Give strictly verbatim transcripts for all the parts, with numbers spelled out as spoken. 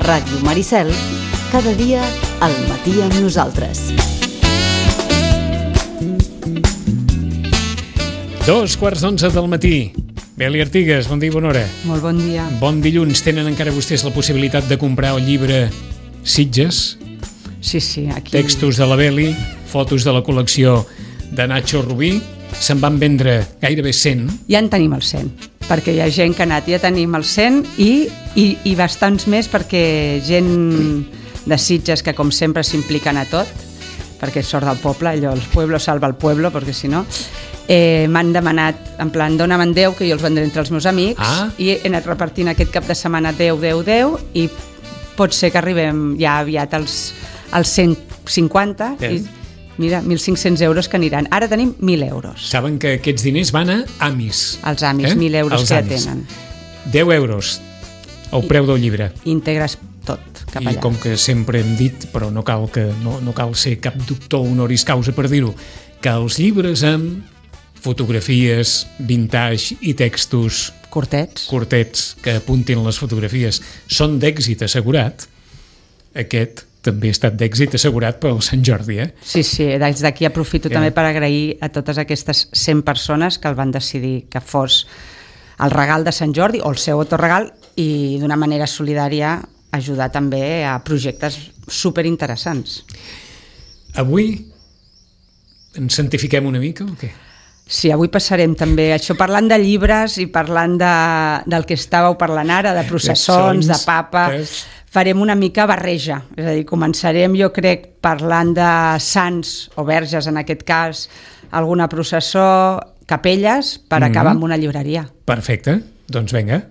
Ràdio Maricel, cada dia al matí amb nosaltres. Dos quarts d'onze del matí. Beli Artigas, bon dia i bona hora. Molt bon dia. Bon dilluns. Tenen encara vostès la possibilitat de comprar el llibre Sitges? Sí, sí, aquí... Textos de la Beli, fotos de la col·lecció de Nacho Rubí. Se'n van vendre gairebé cent. Ja en tenim el cent, perquè hi ha gent que ha anat, ja tenim el cent i, i, i bastants més perquè gent de Sitges que com sempre s'impliquen a tot, perquè sort del poble, allò, el pueblo salva el pueblo, perquè si no... Eh, m'han demanat, en plan, dóna'm deu, que jo els vendré entre els meus amics, ah. i he anat repartint aquest cap de setmana deu, deu, deu, i pot ser que arribem ja aviat als, als cent cinquanta, eh. i mira, mil cinc-cents euros que aniran. Ara tenim mil euros. Saben que aquests diners van a Amis. Els Amis, eh? mil euros Els que Amis. ja tenen. deu euros, el preu del llibre. Integres tot, cap allà. I com que sempre hem dit, però no cal, que, no, no cal ser cap doctor honoris causa per dir-ho, que els llibres amb fotografies, vintage i textos curtets. curtets que apuntin les fotografies són d'èxit assegurat. Aquest també ha estat d'èxit assegurat pel Sant Jordi, eh? Sí, sí, des d'aquí aprofito yeah. també per agrair a totes aquestes cent persones que el van decidir que fos el regal de Sant Jordi o el seu autoregal i d'una manera solidària ajudar també a projectes superinteressants. Avui ens santifiquem una mica o què? Sí, avui passarem també això parlant de llibres i parlant de, del que estàveu parlant ara, de processons, de papa. Farem una mica barreja, és a dir, començarem jo crec parlant de sants o verges en aquest cas, alguna processó, capelles, per mm-hmm. acabar amb una llibreria. Perfecte, doncs vinga.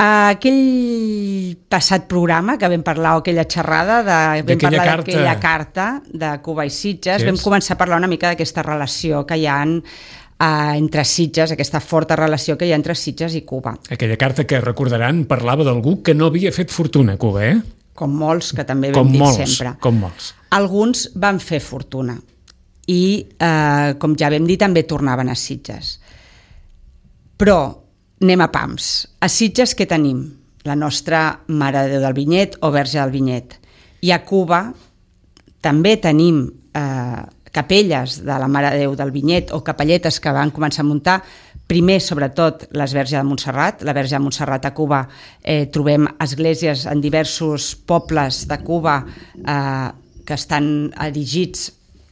Aquell passat programa que vam parlar, o aquella xerrada, de, vam parlar d'aquella carta de Cuba i Sitges, vam començar a parlar una mica d'aquesta relació que hi ha eh, entre Sitges, aquesta forta relació que hi ha entre Sitges i Cuba. Aquella carta que, recordaran, parlava d'algú que no havia fet fortuna a Cuba, eh? Com molts, que també vam com dir molts, sempre. Com molts. Alguns van fer fortuna i, eh, com ja vam dir, també tornaven a Sitges. Però anem a pams. A Sitges què tenim? La nostra Mare de Déu del Vinyet o Verge del Vinyet. I a Cuba també tenim eh, capelles de la Mare de Déu del Vinyet o capelletes que van començar a muntar. Primer, sobretot, les Verge de Montserrat. La Verge de Montserrat a Cuba eh, trobem esglésies en diversos pobles de Cuba eh, que estan erigits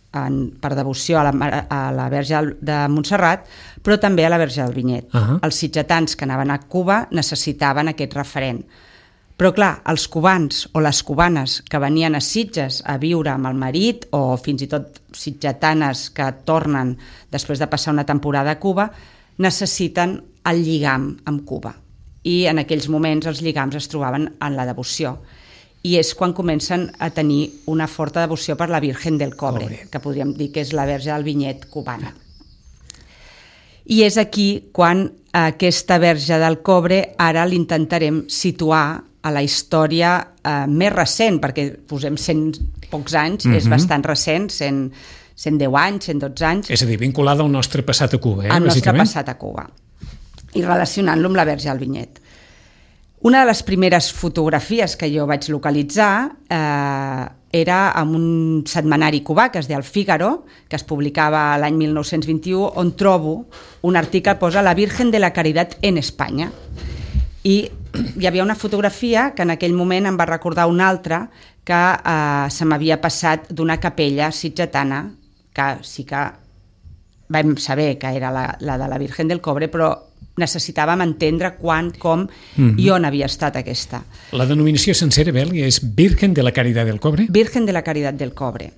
En, per devoció a la, a la Verge de Montserrat, però també a la Verge del Vinyet. Uh-huh. Els sitgetans que anaven a Cuba necessitaven aquest referent. Però clar, els cubans o les cubanes que venien a Sitges a viure amb el marit o fins i tot sitgetanes que tornen després de passar una temporada a Cuba, necessiten el lligam amb Cuba. I en aquells moments els lligams es trobaven en la devoció. I és quan comencen a tenir una forta devoció per la Virgen del Cobre, Cobre, que podríem dir que és la Verge del Vinyet cubana. I és aquí quan aquesta Verge del Cobre ara l'intentarem situar a la història eh, més recent, perquè posem cent pocs anys, mm-hmm. és bastant recent, cent, cent deu anys, cent dotze anys. És a dir, vinculada al nostre passat a Cuba, eh? Al nostre passat a Cuba. I relacionant-lo amb la Verge del Vinyet. Una de les primeres fotografies que jo vaig localitzar eh, era en un setmanari cubà que es deia El Fígaro, que es publicava l'any mil nou-cents vint-i-u, on trobo un article que posa La Virgen de la Caridad en Espanya. I hi havia una fotografia que en aquell moment em va recordar una altra que eh, se m'havia passat d'una capella sitgetana, que sí que vam saber que era la, la de la Virgen del Cobre, però necessitàvem entendre quan, com mm-hmm. i on havia estat aquesta. La denominació sencera, Beli, és Virgen de la Caridad del Cobre? Virgen de la Caridad del Cobre.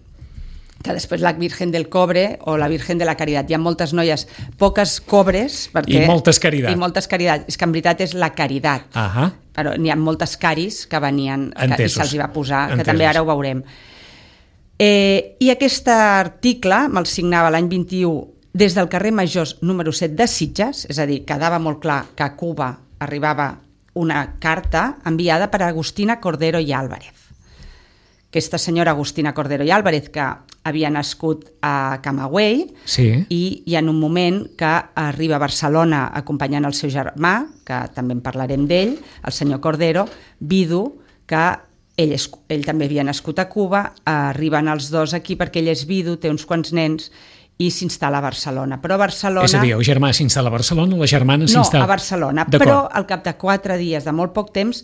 Que després la Virgen del Cobre o la Virgen de la Caridad. Hi ha moltes noies, poques cobres... Perquè, I moltes caritat. I moltes caritat. És que en veritat és la caritat. Uh-huh. Però n'hi ha moltes caris que venien, que, i se'ls hi va posar, Entesos. Que també ara ho veurem. Eh, I aquest article me'l signava l'any vint-i-u des del carrer Majors número set de Sitges, és a dir, quedava molt clar que a Cuba arribava una carta enviada per Agustina Cordero i Álvarez. Aquesta senyora Agustina Cordero i Álvarez, que havia nascut a Camagüey, sí. i hi ha un moment que arriba a Barcelona acompanyant el seu germà, que també en parlarem d'ell, el senyor Cordero, vidu que ell, és, ell també havia nascut a Cuba, arriben els dos aquí perquè ell és vidu, té uns quants nens, i s'instal·la a Barcelona. Però a Barcelona... És a dir, el germà s'instal·la a Barcelona, la germana s'instal·la... No, a Barcelona, però al cap de quatre dies, de molt poc temps,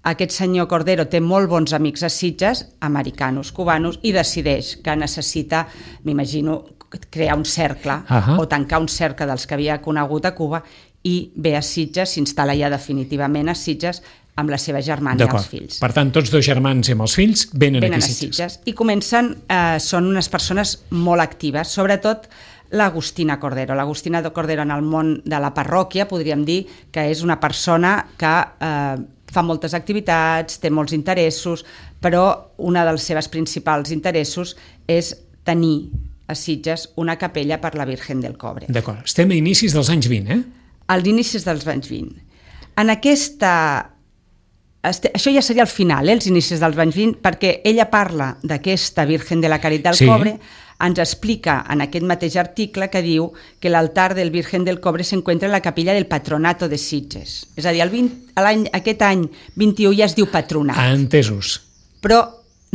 aquest senyor Cordero té molt bons amics a Sitges, americanos, cubanos, i decideix que necessita, m'imagino, crear un cercle, uh-huh. o tancar un cercle dels que havia conegut a Cuba, i ve a Sitges, s'instal·la ja definitivament a Sitges, amb la seva germana i els fills. Per tant, tots dos germans i amb els fills venen, venen aquí a Sitges. I comencen, eh, són unes persones molt actives, sobretot l'Agustina Cordero. L'Agustina Cordero en el món de la parròquia, podríem dir que és una persona que eh, fa moltes activitats, té molts interessos, però una dels seus principals interessos és tenir a Sitges una capella per la Virgen del Cobre. D'acord. Estem a inicis dels anys vint, eh? Als inicis dels anys vint. En aquesta... Això ja seria el final, eh, els inicis dels anys vint, perquè ella parla d'aquesta Virgen de la Caritat del sí. Cobre, ens explica en aquest mateix article que diu que l'altar del Virgen del Cobre s'encuentra en la capilla del Patronato de Sitges. És a dir, el vint, l'any, aquest any vint-i-u ja es diu Patronat. Ah, entesos. Però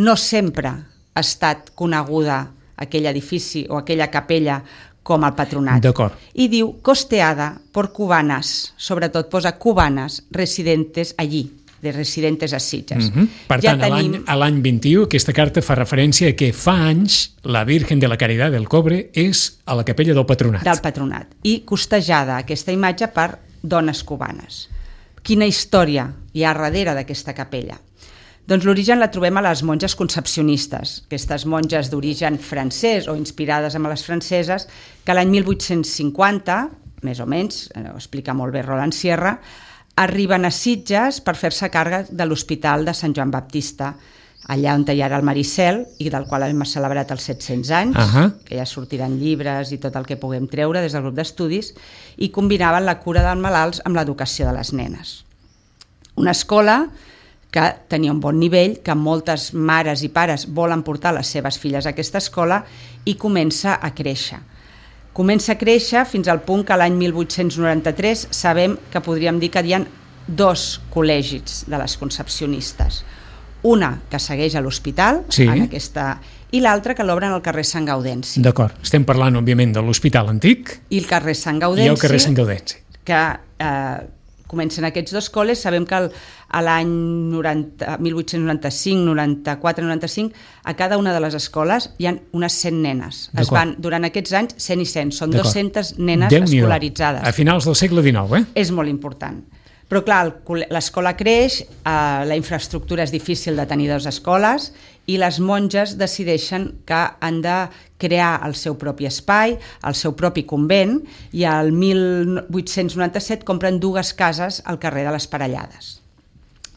no sempre ha estat coneguda aquell edifici o aquella capella com el Patronat. D'acord. I diu, costeada por cubanas, sobretot posa cubanas residentes allí, de residentes a Sitges. Uh-huh. Per ja tant, tenim... a l'any vint-i-u aquesta carta fa referència a que fa anys la Virgen de la Caridad del Cobre és a la capella del Patronat. Del Patronat. I costejada aquesta imatge per dones cubanes. Quina història hi ha darrere d'aquesta capella? Doncs l'origen la trobem a les monges concepcionistes, aquestes monges d'origen francès o inspirades en les franceses, que l'any mil vuit-cents cinquanta, més o menys, ho explica molt bé Roland Sierra, arriben a Sitges per fer-se càrrec de l'Hospital de Sant Joan Baptista, allà on hi ha el Maricel, i del qual hem celebrat els set-cents anys, uh-huh. que ja sortiran llibres i tot el que puguem treure des del grup d'estudis, i combinaven la cura dels malalts amb l'educació de les nenes. Una escola que tenia un bon nivell, que moltes mares i pares volen portar les seves filles a aquesta escola, i comença a créixer. Comença a créixer fins al punt que l'any mil vuit-cents noranta-tres sabem que podríem dir que hi ha dos col·legis de les concepcionistes. Una que segueix a l'hospital, sí. en aquesta, i l'altra que l'obren al carrer Sant Gaudenci. D'acord. Estem parlant, òbviament, de l'Hospital Antic i el carrer Sant Gaudenci. I el carrer Sant Gaudenci. Que eh, comencen aquests dos col·les. Sabem que el, a l'any mil vuit-cents noranta-cinc, noranta-quatre, noranta-cinc, a cada una de les escoles hi ha unes cent nenes. Es van, durant aquests anys, cent i cent. Són dues-centes nenes escolaritzades. A finals del segle dinou, eh? És molt important. Però clar, l'escola creix, eh, la infraestructura és difícil de tenir dues escoles i les monges decideixen que han de crear el seu propi espai, el seu propi convent, i al mil vuit-cents noranta-set compren dues cases al carrer de les Parellades.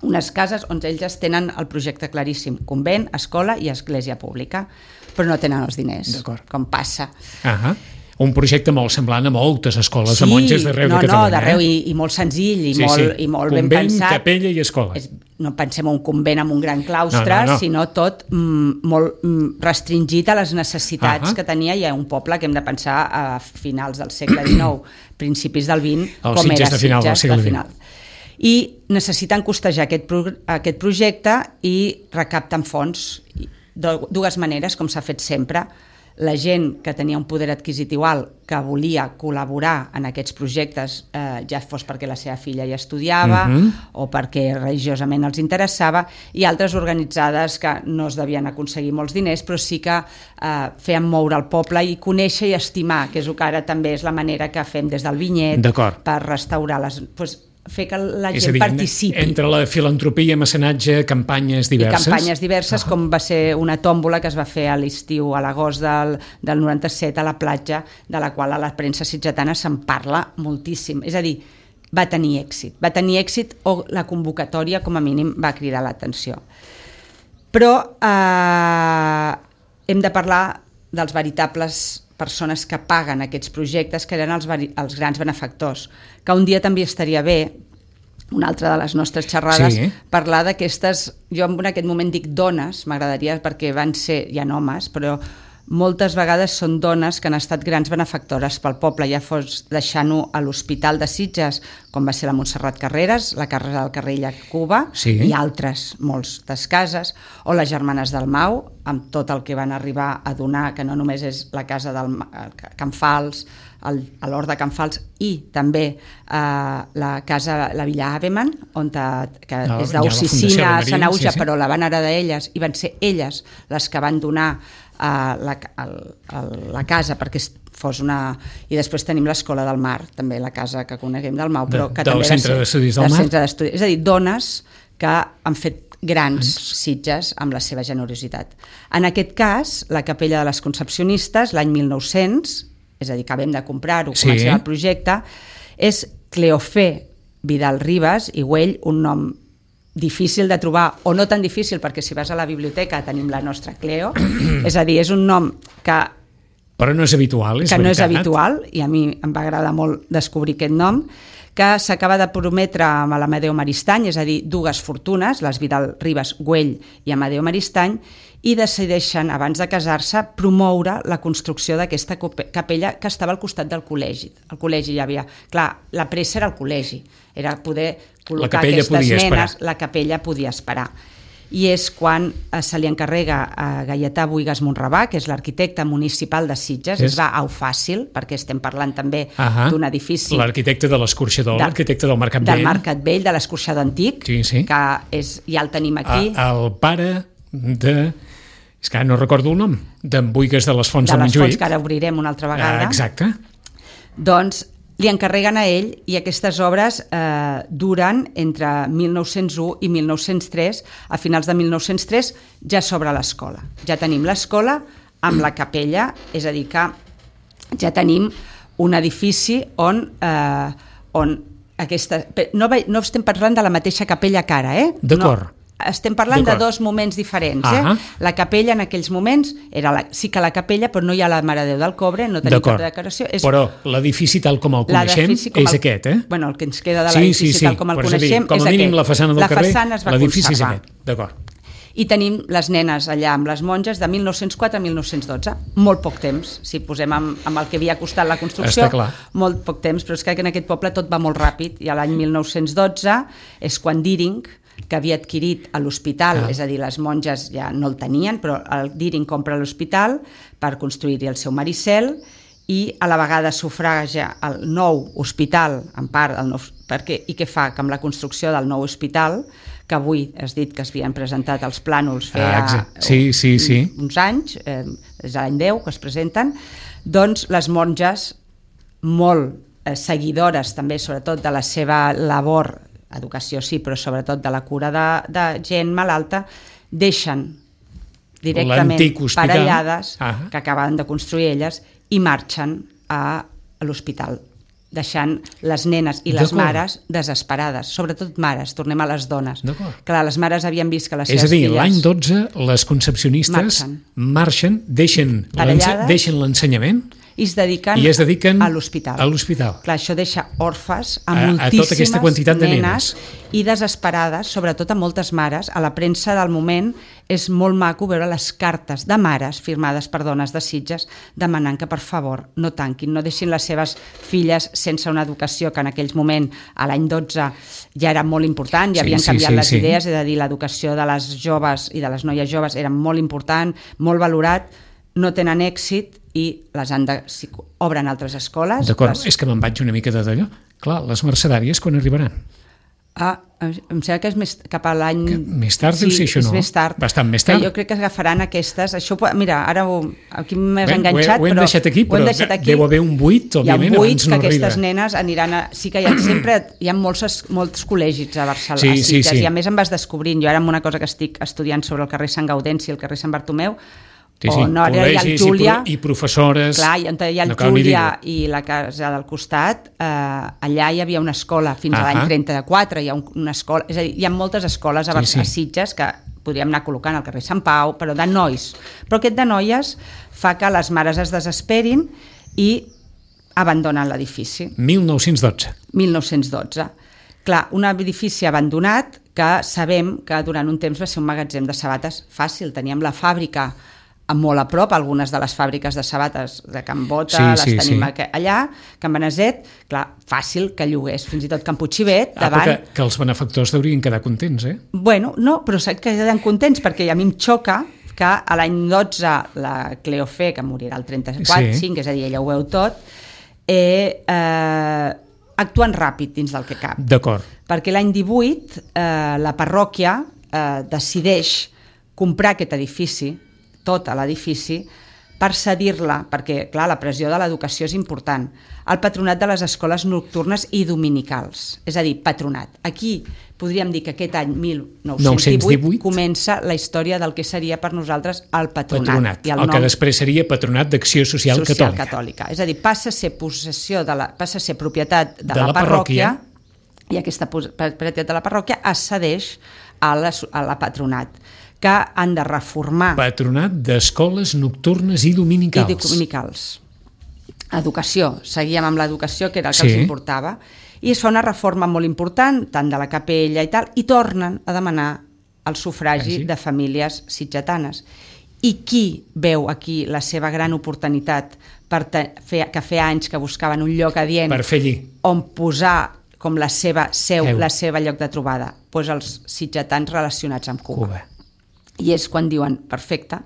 Unes cases on ells tenen el projecte claríssim, convent, escola i església pública, però no tenen els diners, com passa. Ahà. Un projecte molt semblant a moltes escoles sí, de monges d'arreu no, de Catalunya. No, d'arreu, eh? i, i molt senzill, i sí, molt, sí. i molt convent, ben pensat. Convent, capella i escola. És, no pensem en un convent amb un gran claustre, no, no, no. sinó tot mm, molt mm, restringit a les necessitats uh-huh. que tenia, i a un poble que hem de pensar a finals del segle dinou, principis del vint, el com era de final Sitges del segle de final. I necessiten costejar aquest, pro, aquest projecte i recapten fons de dues maneres, com s'ha fet sempre. La gent que tenia un poder adquisitiu alt, que volia col·laborar en aquests projectes, eh, ja fos perquè la seva filla hi estudiava uh-huh. o perquè religiosament els interessava, i altres organitzades que no es devien aconseguir molts diners, però sí que eh, feien moure el poble i conèixer i estimar, que és el que ara també és la manera que fem des del vinyet per restaurar les... Pues, fer que la gent dir, participi. Entre la filantropia, mecenatge, campanyes diverses. I campanyes diverses, uh-huh. com va ser una tòmbola que es va fer a l'estiu, a l'agost del, del noranta-set, a la platja, de la qual a la premsa sitgetana se'n parla moltíssim. És a dir, va tenir èxit. Va tenir èxit o la convocatòria, com a mínim, va cridar l'atenció. Però eh, hem de parlar dels veritables persones que paguen aquests projectes, que eren els, els grans benefactors, que un dia també estaria bé, una altra de les nostres xerrades, sí. parlar d'aquestes, jo en aquest moment dic dones, m'agradaria perquè van ser, hi ha homes, però moltes vegades són dones que han estat grans benefactores pel poble, ja fos deixant-ho a l'Hospital de Sitges, com va ser la Montserrat Carreras, la Casa del Carrer Cuba, sí. i altres, moltes cases, o les Germanes del Mau, amb tot el que van arribar a donar, que no només és la casa del Can Fals, el, a l'Hort de Can Fals, i també eh, la casa, la Villa Aveman, on te, que no, és d'Oficina a Sant Auja, sí, sí. però la van heredar elles, i van ser elles les que van donar a la, a, a la casa perquè fos una... I després tenim l'Escola del Mar, també la casa que coneguem del Mau, però que de, també del Centre d'Estudis del, del Mar. Centre és a dir, dones que han fet grans Sitges amb la seva generositat. En aquest cas, la Capella de les Concepcionistes, l'any mil nou-cents, és a dir, acabem de comprar-ho, sí. comencem el projecte, és Cleofé Vidal Ribas i Güell, un nom difícil de trobar, o no tan difícil, perquè si vas a la biblioteca tenim la nostra Cleo, és a dir, és un nom que... Però no és habitual, és que veritat. no és habitual, i a mi em va agradar molt descobrir aquest nom, que s'acaba de prometre amb l'Amadeu Maristany, és a dir, dues fortunes, les Vidal Ribas Güell i Amadeu Maristany, i decideixen, abans de casar-se, promoure la construcció d'aquesta capella que estava al costat del col·legi. El col·legi hi havia... Clar, la pressa era el col·legi, era poder col·locar aquestes nenes, la capella podia esperar. I és quan se li encarrega a Gaietà Buigas Monravà, que és l'arquitecte municipal de Sitges, és... es va au fàcil, perquè estem parlant també uh-huh. d'un edifici... L'arquitecte de l'Escorxador, de, l'arquitecte del Mercat Vell. Del Mercat Vell, de l'Escorxador Antic, sí, sí. que és, ja el tenim aquí. A, el pare de... És que no recordo el nom, d'en Buigas de les Fonts de del Montjuïc. De les Fonts, que ara obrirem una altra vegada. Ah, exacte. Doncs li encarreguen a ell i aquestes obres eh, duren entre mil nou-cents u i mil nou-cents tres. A finals de mil nou-cents tres ja s'obre l'escola. Ja tenim l'escola amb la capella, és a dir que ja tenim un edifici on, eh, on aquesta... No, no estem parlant de la mateixa capella que ara, eh? D'acord. No. Estem parlant de dos moments diferents. Eh? Uh-huh. La capella en aquells moments era la, sí que la capella, però no hi ha la Mare de Déu del Cobre, no tenim cap decoració. És... Però l'edifici tal com el coneixem com el... és aquest, eh? Bueno, el que ens queda de l'edifici sí, sí, sí. tal com el coneixem dir, com és aquest. Com a mínim la façana del la carrer, façana es va l'edifici conservar. és aquest. D'acord. I tenim les nenes allà amb les monges de mil nou-cents quatre a mil nou-cents dotze. Molt poc temps, si posem amb, amb el que havia costat la construcció. Està clar. Molt poc temps, però és que en aquest poble tot va molt ràpid. I a l'any mil nou-cents dotze és quan Deering, que havia adquirit a l'hospital, ah. és a dir, les monges ja no el tenien, però el Deering compra l'hospital per construir-hi el seu Maricel i a la vegada sufraga el nou hospital, en part, el nou, perquè, i què fa? Que amb la construcció del nou hospital, que avui has dit que es havien presentat els plànols feia ah, sí, sí, sí. uns anys, eh, és l'any deu que es presenten, doncs les monges, molt eh, seguidores també, sobretot de la seva labor educació sí, però sobretot de la cura de, de gent malalta, deixen directament parellades ah. que acaben de construir elles i marxen a l'hospital, deixant les nenes i les mares desesperades, sobretot mares, tornem a les dones. Clar, les mares havien vist que les seves filles... És a dir, l'any dotze les concepcionistes marxen, marxen deixen, deixen l'ensenyament i es dediquen, I es dediquen a l'hospital. A l'hospital. Clar, això deixa orfes a, a moltíssimes a tota aquesta quantitat de nenes, nenes i desesperades, sobretot a moltes mares. A la premsa del moment és molt maco veure les cartes de mares firmades per dones de Sitges demanant que, per favor, no tanquin, no deixin les seves filles sense una educació que en aquells moments, a l'any dotze, ja era molt important, ja sí, havien canviat sí, sí, les sí. idees, és a dir, l'educació de les joves i de les noies joves era molt important, molt valorat, no tenen èxit i les han de... Si obren altres escoles... D'acord, les... és que me'n vaig una mica de d'allò. Clar, les mercedàries quan arribaran? Ah, em sembla que és més cap a l'any... Més tard deu ser això, no? Sí, és més tard. Bastant més tard. Que jo crec que agafaran aquestes... Això, mira, ara ho, aquí m'has enganxat, ho hem però... deixat aquí, però deixat aquí. Deu haver un buit, òbviament, abans no arriba. Hi ha un buit que aquestes arriba. nenes aniran a... Sí que hi ha sempre... Hi ha molts, molts col·legis a Barcelona, sí, a Sitges, sí, sí. i a més em vas descobrint. Jo ara amb una cosa que estic estudiant sobre el carrer Sant Gaudenci i el carrer Sant Bartomeu, sí, sí. o no, ara hi ha el Júlia i professores, clar, i on hi ha el no Júlia i la casa del costat, eh, allà hi havia una escola fins a l'any trenta-quatre, hi ha un, una escola, és a dir, hi ha moltes escoles a, sí, sí. a Sitges que podríem anar col·locant al carrer Sant Pau, però de nois, però aquest de noies fa que les mares es desesperin i abandonen l'edifici. mil nou-cents dotze. mil nou-cents dotze. Clar, un edifici abandonat que sabem que durant un temps va ser un magatzem de sabates fàcil, teníem la fàbrica molt a prop, algunes de les fàbriques de sabates de Can Bota, sí, les sí, tenim sí. allà, Can Beneset, clar, fàcil que llogués, fins i tot Can Puigcivet, ah, davant... Que, que els benefactors deurien quedar contents, eh? Bueno, no, però sé que queden contents, perquè a mi em xoca que a l'any dotze la Cleofé, que morirà el trenta-quatre, sí. cinc, és a dir, ella ho veu tot, eh, eh, actuen ràpid dins del que cap. D'acord. Perquè l'any divuit eh, la parròquia eh, decideix comprar aquest edifici, tot l'edifici, per cedir-la, perquè, clar, la pressió de l'educació és important, al patronat de les escoles nocturnes i dominicals, és a dir, patronat. Aquí podríem dir que aquest any mil nou-cents divuit comença la història del que seria per nosaltres el patronat. patronat I el, el nom, que després seria Patronat d'Acció Social, Social Catòlica. Catòlica. És a dir, passa a ser possessió de la, passa a ser propietat de, de la, la parròquia, parròquia i aquesta propietat de la parròquia es cedeix a la, a la patronat, que han de reformar... Patronat d'Escoles Nocturnes i Dominicals. I dominicals. Educació. Seguíem amb l'educació, que era el que sí. els importava. I es fa una reforma molt important, tant de la capella i tal, i tornen a demanar el sufragi sí. de famílies sitgetanes. I qui veu aquí la seva gran oportunitat per fer, que feia anys que buscaven un lloc adient per fer allí. On posar com la seva seu, Heu. la seva lloc de trobada? Pues els sitgetans relacionats amb Cuba. Cuba. I és quan diuen, perfecte,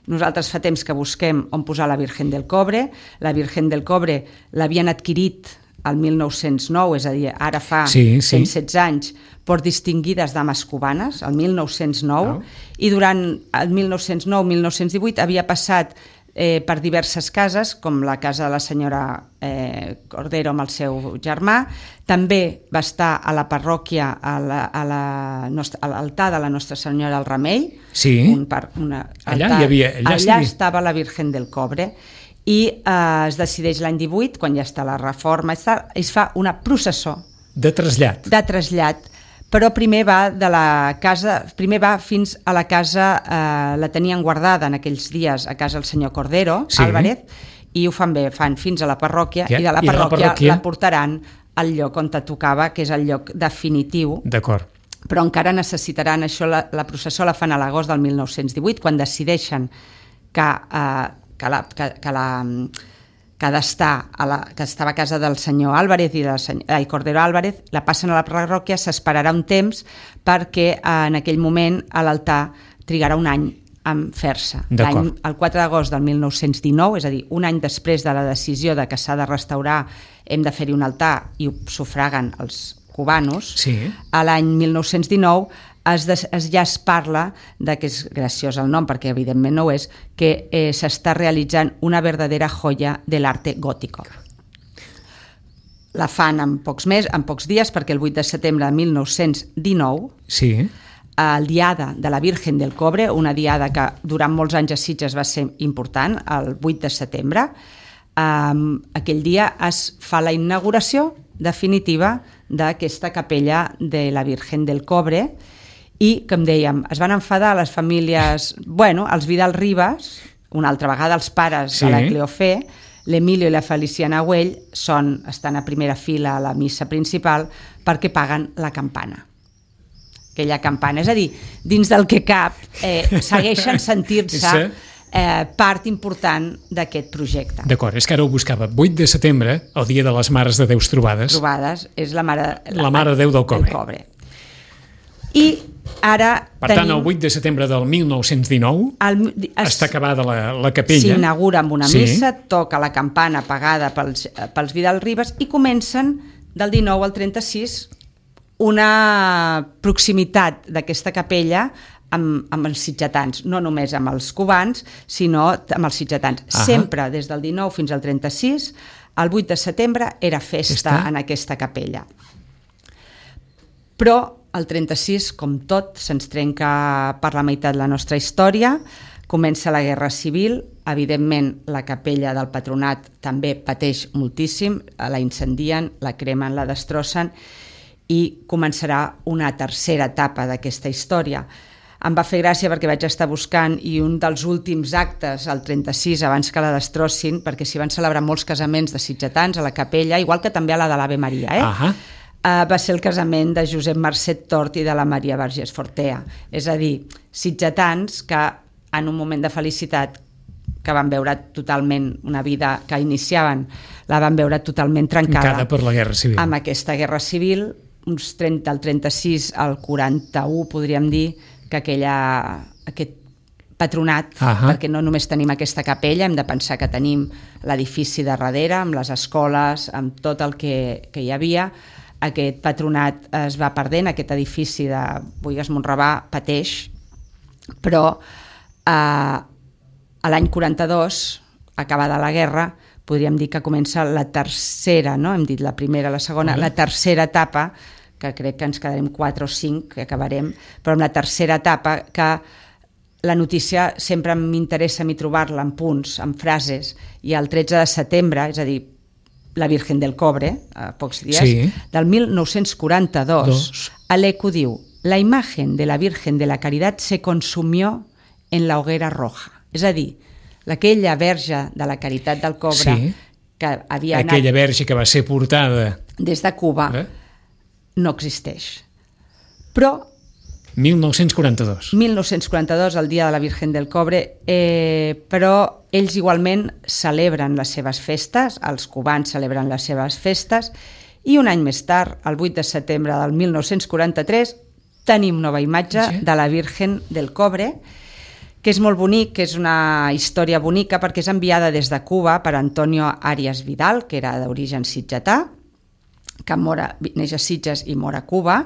nosaltres fa temps que busquem on posar la Virgen del Cobre, la Virgen del Cobre l'havien adquirit el mil nou-cents nou, és a dir, ara fa sí, sí. cent setze anys, per distinguides dames cubanes, el mil nou-cents nou, no. I durant el mil nou-cents nou mil nou-cents divuit havia passat eh, per diverses cases, com la casa de la senyora eh, Cordero amb el seu germà, també va estar a la parròquia, a l'altar de la Nostra Senyora del Remei, sí. un par, una, allà altar, hi havia, allà, allà estava la Virgen del Cobre, i eh, es decideix l'any divuit, quan ja està la reforma, es fa una processó de trasllat. de trasllat, però primer va de la casa, primer va fins a la casa, eh, la tenien guardada en aquells dies a casa el senyor Cordero, sí. Álvarez, i ho fan bé, fan fins a la parròquia, ja, i de la i parròquia, la parròquia la portaran al lloc on te tocava, que és el lloc definitiu. D'acord. Però encara necessitaran això, la, la processó la fan a l'agost del mil nou-cents divuit, quan decideixen que, eh, que la... Que, que la que, d'estar a la, que estava a casa del senyor Álvarez i del senyor, ai, Cordero Álvarez, la passen a la parròquia, s'esperarà un temps perquè en aquell moment a l'altar trigarà un any en fer-se. El quatre d'agost del mil nou-cents dinou, és a dir, un any després de la decisió de que s'ha de restaurar, hem de fer-hi un altar i ho sufraguen els cubanos, sí. a l'any mil nou-cents dinou es, des, es ja es parla de, que és graciós el nom perquè evidentment no ho és, que eh, s'està realitzant una verdadera joia de l'arte gótico. La fan en pocs, mes, en pocs dies, perquè el vuit de setembre de mil nou-cents dinou, sí. el diada de la Virgen del Cobre, una diada que durant molts anys a Sitges va ser important, el vuit de setembre, um, aquell dia es fa la inauguració definitiva d'aquesta capella de la Virgen del Cobre, i, com dèiem, es van enfadar les famílies, bueno, els Vidal Ribas, una altra vegada els pares sí. de la Cleofé, l'Emilio i la Feliciana Güell són, estan a primera fila a la missa principal perquè paguen la campana. Aquella campana, és a dir, dins del que cap, eh, segueixen sentint-se eh, part important d'aquest projecte. D'acord, és que ara ho buscava. vuit de setembre, el dia de les Mares de Déus Trobades. Trobades, és la Mare, la, la Mare de Déu del Cobre. Del Cobre. I ara per tenim... tant, el vuit de setembre del mil nou-cents dinou el, es, està acabada la, la capella. S'inaugura amb una sí. missa, toca la campana pagada pels, pels Vidal Ribas i comencen del dinou al trenta-sis una proximitat d'aquesta capella amb, amb els sitgetans, no només amb els cubans, sinó amb els sitgetans. Uh-huh. Sempre des del dinou fins al trenta-sis, el vuit de setembre era festa Està? en aquesta capella. Però el trenta-sis, com tot, se'ns trenca per la meitat la nostra història, comença la Guerra Civil, evidentment la capella del Patronat també pateix moltíssim, la incendien, la cremen, la destrossen, i començarà una tercera etapa d'aquesta història. Em va fer gràcia perquè vaig estar buscant i un dels últims actes, el trenta-sis, abans que la destrossin, perquè s'hi van celebrar molts casaments de sitgetans a la capella, igual que també a la de l'Ave Maria, eh? Ahà. Uh, va ser el casament de Josep Marcet Tort i de la Maria Vergés Fortea. És a dir, sitgetans que en un moment de felicitat que van veure totalment una vida que iniciaven, la van veure totalment trencada. Trencada per la Guerra Civil. Amb aquesta Guerra Civil, uns trenta, al trenta-sis al quaranta-u, podríem dir, que aquella, aquest patronat, uh-huh. perquè no només tenim aquesta capella, hem de pensar que tenim l'edifici de darrere, amb les escoles, amb tot el que, que hi havia. Aquest patronat es va perdent, aquest edifici de Boïgues Monrabà pateix, però eh, a l'any quaranta-dos, acabada la guerra, podríem dir que comença la tercera, no? Hem dit la primera, la segona, la tercera etapa, que crec que ens quedarem quatre o cinc, que acabarem, però amb la tercera etapa, que la notícia sempre m'interessa a mi trobar-la en punts, en frases, i el tretze de setembre, és a dir, la Virgen del Cobre, a pocs dies, sí. del mil nou-cents quaranta-dos, Dos. l'Eco diu: la imagen de la Virgen de la Caridad se consumió en la hoguera roja. És a dir, aquella verge de la Caritat del Cobre, sí. que havia anat... Aquella verge que va ser portada... Des de Cuba, eh? no existeix. Però... mil nou-cents quaranta-dos. mil nou-cents quaranta-dos, el dia de la Virgen del Cobre, eh, però ells igualment celebren les seves festes, els cubans celebren les seves festes, i un any més tard, el vuit de setembre del mil nou-cents quaranta-tres, tenim nova imatge sí. de la Virgen del Cobre, que és molt bonic, que és una història bonica, perquè és enviada des de Cuba per Antonio Arias Vidal, que era d'origen sitgetà, que mora, neix a Sitges i mor a Cuba,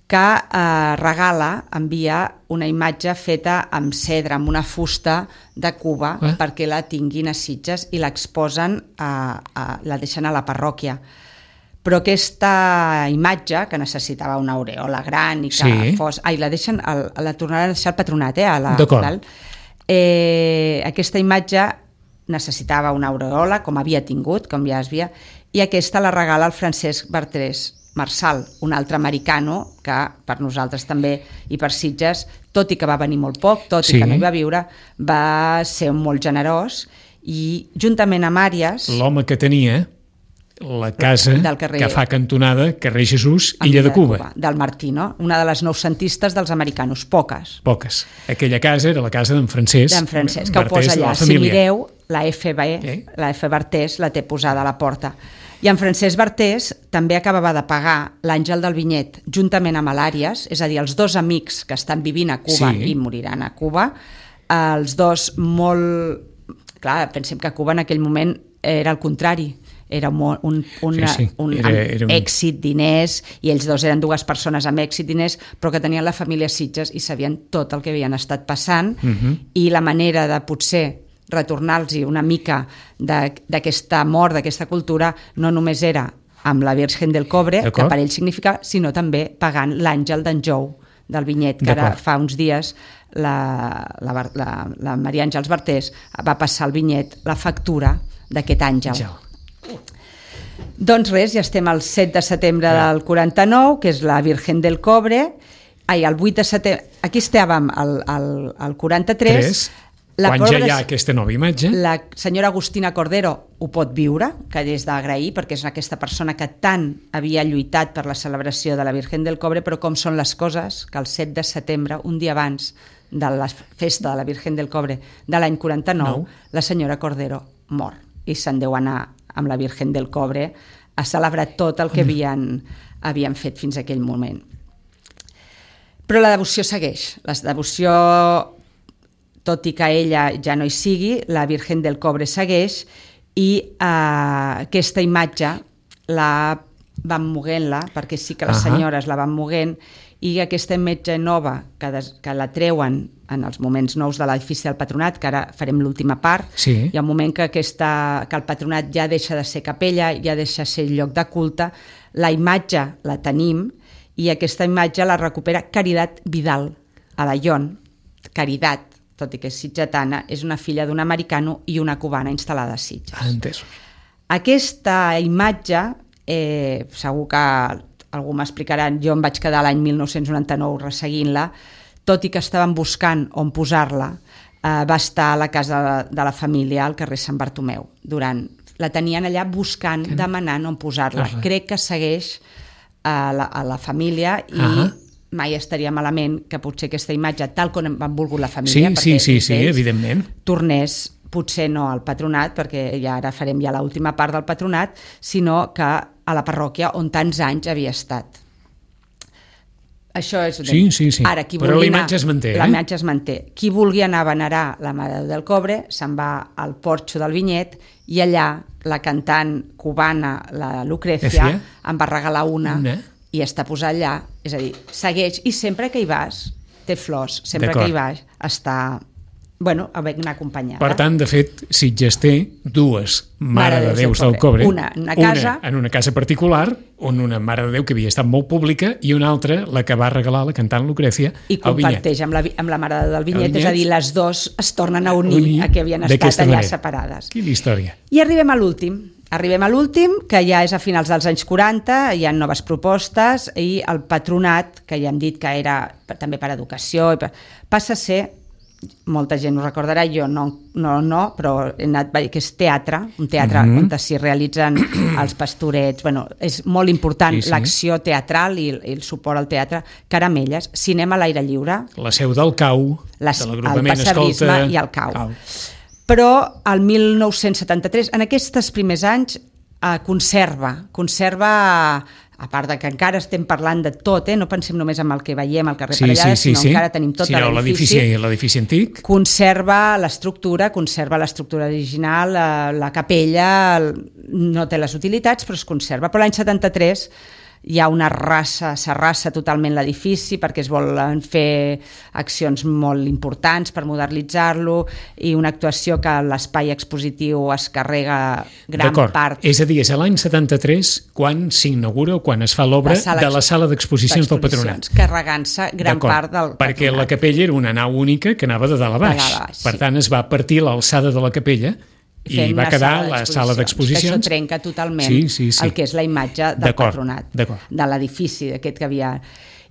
que eh, regala, envia una imatge feta amb cedre, amb una fusta de Cuba, eh? perquè la tinguin a Sitges i l'exposen, a, a, la deixen a la parròquia. Però aquesta imatge, que necessitava una aureola gran i que sí. fos... Ai, la deixen, el, la tornaran a deixar al patronat, eh? A la, D'acord. Eh, aquesta imatge necessitava una aureola, com havia tingut, com ja es havia, i aquesta la regala el Francesc Bertrés Marsal, un altre americano que per nosaltres també i per Sitges, tot i que va venir molt poc, tot sí. i que no hi va viure, va ser molt generós, i juntament amb Àries... L'home que tenia la casa carrer, que fa cantonada carrer Jesús, Illa de Cuba. Cuba. Del Martino, una de les noucentistes dels americanos, poques. Poques. Aquella casa era la casa d'en Francesc. D'en Francesc, que ho posa allà. Si mireu, la F B, eh? la F Bertés la té posada a la porta. I en Francesc Bertés també acabava de pagar l'Àngel del Vinyet juntament amb l'Àries, és a dir, els dos amics que estan vivint a Cuba sí. i moriran a Cuba, els dos molt... Clar, pensem que Cuba en aquell moment era el contrari, era un, un, una, sí, sí. un, era, era un èxit, diners, i ells dos eren dues persones amb èxit, diners, però que tenien la família Sitges i sabien tot el que havien estat passant, uh-huh. i la manera de potser retornar-los una mica d'aquesta mort, d'aquesta cultura, no només era amb la Virgen del Cobre, que per ell significa, sinó també pagant l'Àngel d'en Jou del Vinyet, que ara fa uns dies la, la, la, la Maria Àngels Bertés va passar al Vinyet la factura d'aquest àngel. Ja. Doncs res, ja estem al set de setembre ja. del quaranta-nou, que és la Virgen del Cobre. Ai, el vuit de setembre... Aquí estàvem al, al, al quaranta-tres. Tres. La Quan ja hi ha aquesta nova imatge. La senyora Agustina Cordero ho pot viure, que és d'agrair, perquè és aquesta persona que tant havia lluitat per la celebració de la Virgen del Cobre, però com són les coses, que el set de setembre, un dia abans de la festa de la Virgen del Cobre de l'any quaranta-nou, no. la senyora Cordero mor i se'n deu anar amb la Virgen del Cobre a celebrar tot el que havien, havien fet fins a aquell moment. Però la devoció segueix, la devoció... tot i que ella ja no hi sigui, la Virgen del Cobre segueix, i eh, aquesta imatge la van moguent-la, perquè sí que les uh-huh. senyores la van moguent, i aquesta imatge nova, que, des, que la treuen en els moments nous de l'edifici del Patronat, que ara farem l'última part, sí. hi ha un moment que, aquesta, que el Patronat ja deixa de ser capella, ja deixa de ser lloc de culte, la imatge la tenim, i aquesta imatge la recupera Caritat Vidal, a la Ion. Caritat, tot i que és sitgetana, és una filla d'un americano i una cubana instal·lada a Sitges. Ah, entès. Aquesta imatge, eh, segur que algú m'explicarà, jo em vaig quedar l'any mil nou-cents noranta-nou resseguint-la, tot i que estaven buscant on posar-la, eh, va estar a la casa de la família al carrer Sant Bartomeu. Durant, la tenien allà buscant, que... demanant on posar-la. Uh-huh. Crec que segueix a la, a la família i uh-huh. mai estaria malament que potser aquesta imatge, tal com han volgut la família, sí, sí, sí, sí, evidentment, tornés potser no al patronat, perquè ja ara farem ja l'última part del patronat, sinó que a la parròquia on tants anys havia estat. Això és... Sí, sí, sí. Ara, qui però vulgui la imatge anar, es manté. La eh? imatge es manté. Qui vulgui anar a venerar la Mare de Déu del Cobre se'n va al porxo del Vinyet i allà la cantant cubana, la Lucrecia, em va regalar una, una i està posada allà. És a dir, segueix, i sempre que hi vas té flors, sempre que hi vas està... bueno, ben acompanyada. Per tant, de fet, Sitges té dues Mare de Déus del Cobre. Una en una casa... Una en una casa particular, on una Mare de Déu que havia estat molt pública, i una altra, la que va regalar la cantant Lucrecia, i comparteix amb la, amb la Mare de Déu del Vinyet, és a dir, les dues es tornen a unir, unir a que havien estat allà manera. Separades. Quina història. I arribem a l'últim. Arribem a l'últim, que ja és a finals dels anys quaranta, hi ha noves propostes, i el patronat, que ja hem dit que era també per educació, passa a ser... molta gent ho recordarà, jo no, no, no però he anat, que és teatre, un teatre mm-hmm. on s'hi realitzen els pastorets, bueno, és molt important sí, sí. l'acció teatral i, i el suport al teatre, Caramelles, cinema a l'aire lliure. La seu del C A U, les, de l'agrupament Escolta... i el C A U. C A U. Però el mil nou-cents setanta-tres, en aquests primers anys, eh, conserva, conserva... a part de que encara estem parlant de tot, eh? No pensem només en el que veiem al carrer sí, Parellada, sí, sí, sinó sí. encara tenim tot sinó l'edifici. L'edifici antic. Conserva l'estructura, conserva l'estructura original, la, la capella, no té les utilitats, però es conserva. Però l'any setanta-tres hi ha una rassa, s'arrassa totalment l'edifici perquè es volen fer accions molt importants per modernitzar-lo i una actuació que l'espai expositiu es carrega gran part. És a dir, és l'any setanta-tres quan s'inaugura o quan es fa l'obra de la sala d'exposicions del Patronat. Carregant-se gran part del Patronat. Perquè la capella era una nau única que anava de dalt a baix. De dalt a baix per sí. tant, es va partir l'alçada de la capella i va quedar la sala d'exposicions. Això trenca totalment sí, sí, sí. el que és la imatge del Patronat, de l'edifici aquest que havia...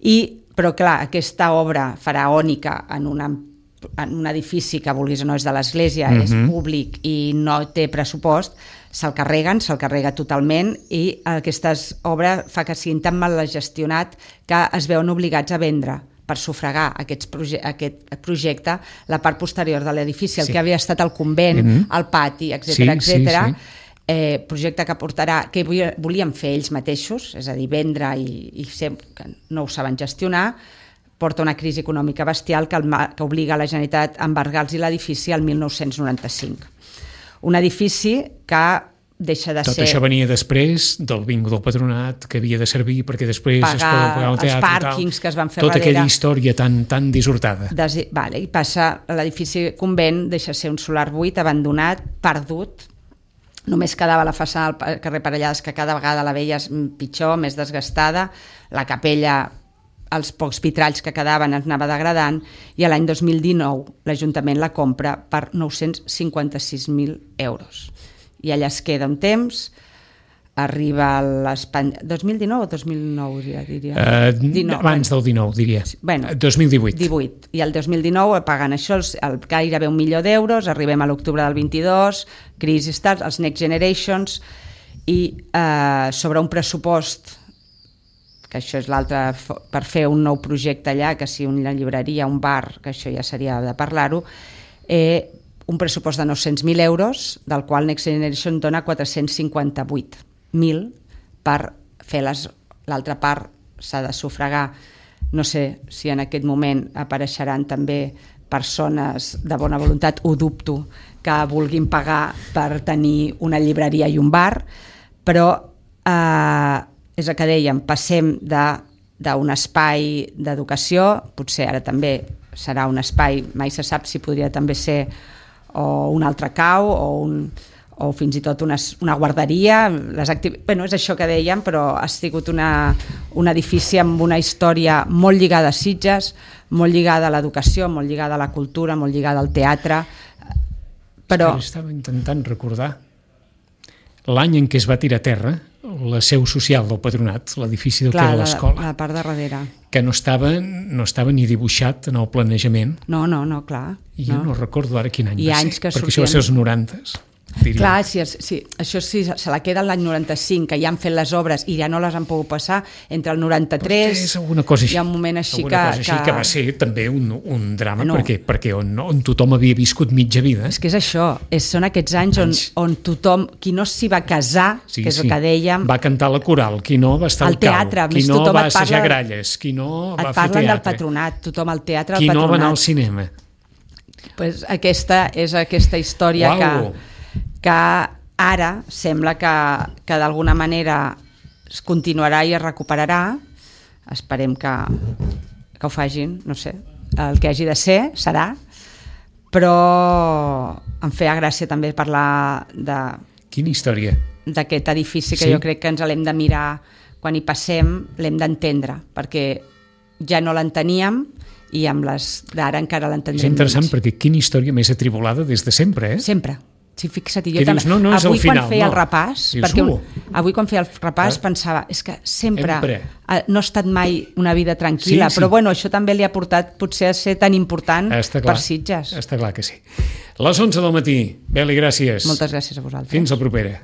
I, però clar, aquesta obra faraònica en, una, en un edifici que vulguis o no és de l'església, mm-hmm. és públic i no té pressupost, se'l carreguen, se'l carrega totalment i aquesta obra fa que siguin tan mal gestionat que es veuen obligats a vendre per sufragar aquests proje aquest projecte, la part posterior de l'edifici, el sí. que havia estat el convent, mm-hmm. el pati, etcètera, sí, etcètera. Sí, sí. Eh, projecte que portarà, que volien fer ells mateixos, és a dir, vendre i, i ser, que no ho saben gestionar, porta una crisi econòmica bestial que, el, que obliga la Generalitat a embargar-los l'edifici al mil nou-cents noranta-cinc. Un edifici que deixa de Tot ser... això venia després del bingo del Patronat, que havia de servir perquè després pagar es poden pagar el teatre els pàrquings que es van fer tota darrere. Aquella història tan, tan dissortada. Des... Vale, i passa l'edifici convent, deixa de ser un solar buit, abandonat, perdut. Només quedava la façana al carrer Parellades, que cada vegada la veies pitjor, més desgastada. La capella, els pocs vitralls que quedaven es anava degradant, i l'any dos mil dinou l'Ajuntament la compra per nou-cents cinquanta-sis mil euros. I allà es queda un temps, arriba l'Espanya... dos mil dinou o dos mil nou, diria? Uh, dinou, abans bueno. del dinou, diria. Bueno, dos mil divuit. divuit. I el dos mil dinou pagant això, el, el gairebé un milió d'euros, arribem a l'octubre del vint-i-dos, crisi start, els Next Generations, i eh, sobre un pressupost, que això és l'altre, per fer un nou projecte allà, que si una llibreria, un bar, que això ja seria de parlar-ho, eh, un pressupost de nou-cents mil euros, del qual Next Generation dona quatre-cents cinquanta-vuit mil per fer l'altra part, s'ha de sufragar. No sé si en aquest moment apareixeran també persones de bona voluntat, ho dubto, que vulguin pagar per tenir una llibreria i un bar, però eh, és el que dèiem, passem d'un espai d'educació, potser ara també serà un espai, mai se sap si podria també ser o un altre cau o, un, o fins i tot una, una guarderia. Les activ... bueno, és això que dèiem, però ha sigut una, un edifici amb una història molt lligada a Sitges, molt lligada a l'educació, molt lligada a la cultura, molt lligada al teatre. Però... Estava intentant recordar l'any en què es va tirar a terra la seu social del Patronat, l'edifici del que era l'escola. La, la part de darrere. Que no estava, no estava ni dibuixat en el planejament. No, no, no, clar. I jo no, no recordo ara quin any I va anys ser, que perquè sortien... això va ser els norantes. diria. Clar, sí, sí, això sí, se la queda l'any noranta-cinc, que ja han fet les obres i ja no les han pogut passar, entre el noranta-tres... És alguna cosa així. Hi ha un moment així alguna que... cosa així que... que va ser també un, un drama, no. perquè, perquè on, on tothom havia viscut mitja vida. És que és això, és, són aquests anys on, on tothom, qui no s'hi va casar, sí, que és sí. el que dèiem... Va cantar la coral, qui no va estar al, al teatre, cau, qui no va assajar parla, gralles, qui no va fer teatre. Et parlen del patronat, tothom al teatre, al qui patronat. no va anar al cinema. Pues aquesta és aquesta història que, que ara sembla que, que d'alguna manera es continuarà i es recuperarà. Esperem que, que ho facin, no sé, el que hagi de ser serà, però em feia gràcia també parlar de... Quina història? D'aquest edifici que sí? Jo crec que ens l'hem de mirar quan hi passem, l'hem d'entendre, perquè ja no l'enteníem i amb les d'ara encara l'entendrem. És interessant menys. perquè quina història més atribulada des de sempre, eh? Sempre. Sí, fixa't, jo que també, dius, no, no és avui el final, quan feia no. el repàs, dius, perquè uh, avui quan feia el repàs eh? pensava, és que sempre, sempre no ha estat mai una vida tranquil·la, sí, sí. però bueno, això també li ha portat potser a ser tan important per Sitges. Està clar que sí. Les onze del matí. Beli, gràcies. Moltes gràcies a vosaltres. Fins la propera.